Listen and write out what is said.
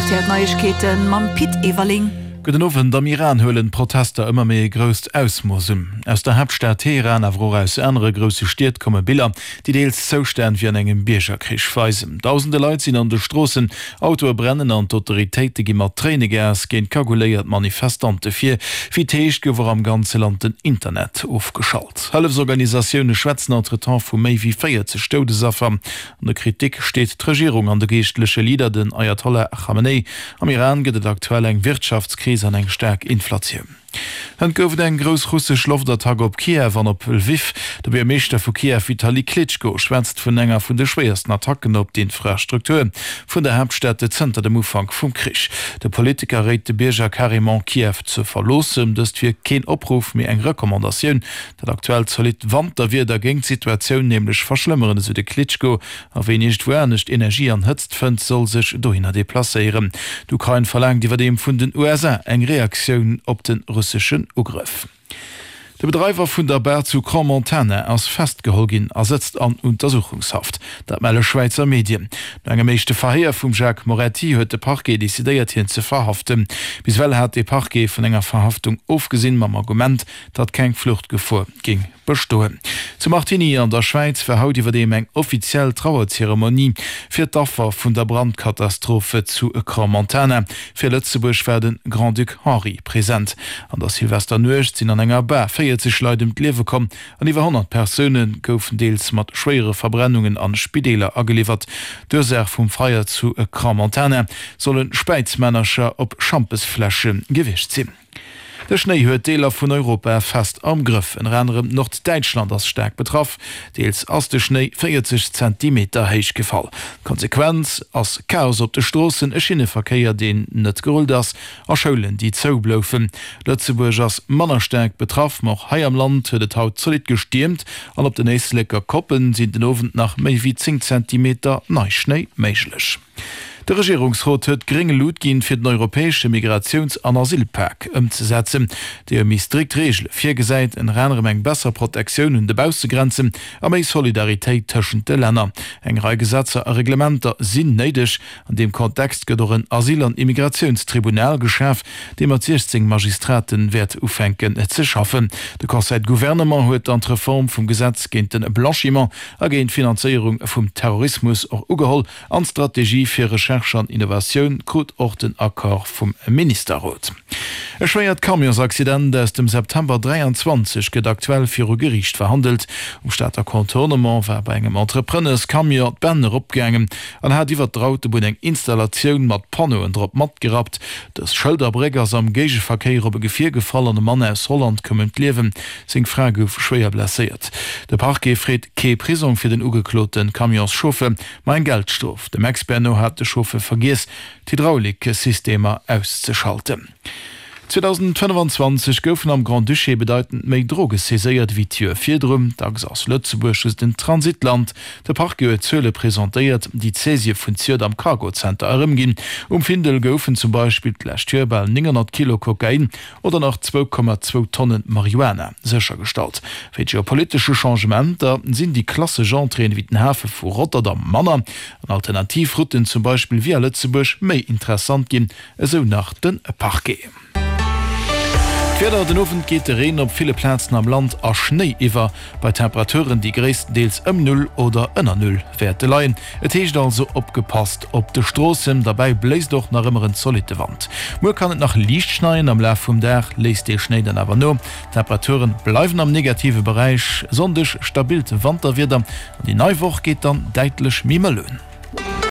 Rtl Neiegkeeten mam Pit Everling. Gudden Owend. Am Iran huelen d'Protester ëmmer méi e grousst Ausmooss un. Aus der Haaptstad Teheran, awer och aus anere grousse Stied komme Biller, déi deels Zoustänn wéi an engem Biergerkrich weisen. Dausende Leit sinn an de Stroossen, Autoe brennen an d'Autoritéite gi mat Tréinegas géint kaguléiert Manifestante vir. Wéi et heescht, gouf och am ganze Land den Internet ofgeschalt. Hëllefsorganisatioune schwätzen entretemps vu méi wéi 40 Doudesaffer. An der Kritik steet d'Regierung an de geeschtleche Leader, den Ayatollah Khamenei. Am Iran gëtt et aktuell eng Wirtschaftskris an eng staark Inflatioun. Hënt gouf et eng grouss russesch Loftattack op Kiew an op Lwiw. De Buergermeeschter vu Kiew Vitali Klitschko schwätzt vun enger vun de schwéiersten Attacken op d'Infrastruktur vun der Haaptstad zënter dem Ufank vum Krich. De Politiker réit de Bierger carrément Kiew ze verloossen. Dëst wier keen Opruff, mee eng Recommandatioun. Dat aktuellt zolidd Wanterwieder géing d'Situatioun nämlech verschlëmmeren, esou de Klitschko. A ween iergendwou anescht Energie an Hëtzt fënnt, soll sech dohinner deplacéieren. D'Ukrain verlaangt iwwerdeem vun den USA eng Reaktioun op de russeschen Ugrëff. De Bedreiwer vun der Bar zu Crans-Montana ass festgeholl ginn a sëtzt an Untersuchungshaft. Dat melle Schwäizer Medien. No engem éischte Verhéier vum Jacques Moretti huet de Parquet decidéiert, hien ze verhaften. Bis ewell hat de Parquet vun enger Verhaftung ofgesinn, mam Argument, datt keng Fluchtgefor géing bestoen. Zu Martigny an der Schwäiz war haut iwwerdeem eng offiziell Trauerzeremonie fir d'Affer vun der Brandkatastrophe zu Crans-Montana. Fir Lëtzebuerg war de Grand-Duc Henri present. An der Silvesternuecht sinn an enger Bar 40 Leit ëm d'Liewe komm an iwwer 100 Persoune goufen deels mat schwéiere Verbrennungen an Spideeler ageliwwert. D'Ursaach vum Feier zu Crans-Montana solle Späizmännercher op Schampesfläsche gewiescht sinn. De Schnéi huet Deeler vun Europa fest am Grëff. Ënner anerem Norddäitschland ass staark betraff. Deels ass de Schnéi 40 Zentimeter héich gefall. D'Konsequenz ass Chaos op de Stroossen, e Schinneverkéier, deen net gerullt ass a Schoulen, déi zou bloufen. Lëtzebuerg ass manner staark betraff, ma och hei am Land huet et haut zolidd gestiermt an op den Éisleker Koppen sinn den Owend nach méi wéi 10 Zentimeter Neischnéi méiglech. De Regierungsrot huet gréng Lut ginn, fir den europäesche Migratiouns an Asylpak ëmzesetzen, dee méi strikt Reegele virgesäit, ënner anerem eng besser Protektioun un de Baussegrenzen a méi Solidaritéit tëschent de Länner. Eng Rei Gesetzer a Reglementer sinn néideg. An deem Kontext gëtt och en Asyl an Immigratiounstribunal geschaf, dee mat 16 Magistrate wäert ufänken ze schaffen. De Conseil de Gouvernement huet dann d'Reform vum Gesetz géint de Blanchiment a géint d'Finanzéierung vum Terrorismus och ugeholl. An d'Strategie fir Recherche an Innovatioun krut och den Accord vum Ministerrot. E schwéiert Camionsaccident aus dem September 23 gëtt aktuell viru Geriicht verhandelt. Um Stater Contournement war bei engem Entrepreneurscamion d'Bänn eropgaangen an hat iwwert der Autobunn eng Installatioun mat Panneauen drop matgerappt. Dës Schëlderbréck ass am Géigeverkéier op e Gefier gefall an e Mann aus Holland koum ëm d'Liewen. Seng Fra gouf schwéier blesséiert. De Parquet freet kee Prisong fir den ugeklote Camionschauffer. Ma eng Geldstrof. Dem Expert no hat de Chauffeur vergiess, d'Hydrauliksystemer auszeschalten. 2025 goufen am Grand-Duché bedeitend méi Droge saiséiert ewéi d'Joer virdrun. Dacks ass Lëtzebuerg just en Transitland. De Parquet huet Zuele presentéiert, déi d'Saisië vun zejoert am Cargo-Center erëmginn. Um Findel goufen zum Beispill d'lescht Joer bal 900 Kilo Kokain oder nach 2,2 Tonne Marihuana séchergestallt. Wéint geopolitesche Changementer sinn déi klassesch Entréeën ewéi den Hafe vu Rotterdam manner an alternativ Routen, zum Beispill via Lëtzebuerg, méi interessant ginn, esou nach de Parquet. D'Wieder, Den Owend geet de Reen op ville Plazen am Land a Schnéi iwwer, bei Temperaturen, déi gréisstendeels ëm Null oder ënner Null wäerte leien. Et heescht also opgepasst op de Stroossen, derbäi bléist och nach ëmmer en zolitte Wand. Muer kann et nach liicht schneien, am Laf vum Dag léisst dee Schnéi dann awer no. D'Temperature bleiwen am negative Beräich. E Sonndeg stabilt Wanterwieder an déi nei Woch geet dann däitlech méi mëll un.